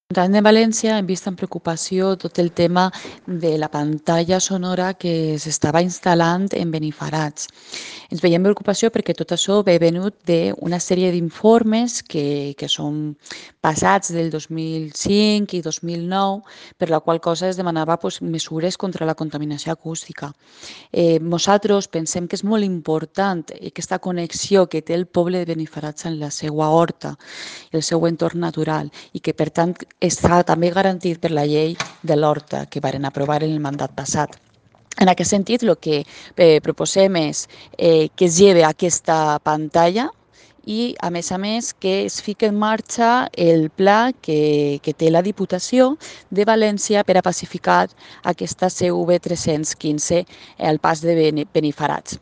L'Ajuntament de València hem vist amb preocupació tot el tema de la pantalla sonora que s'estava instal·lant en Benifarats. Ens veiem preocupació perquè tot això ve venut d'una sèrie d'informes que són passats del 2005 i 2009, per la qual cosa es demanava mesures contra la contaminació acústica. Nosaltres pensem que és molt important aquesta connexió que té el poble de Benifarats amb la seva horta, el seu entorn natural, i que per tant està també garantit per la llei de l'horta que varen aprovar en el mandat passat. En aquest sentit, el que proposem és que es lleve aquesta pantalla i, a més, que es fiqui en marxa el pla que té la Diputació de València per a pacificar aquesta CV 315 al pas de Benifarats.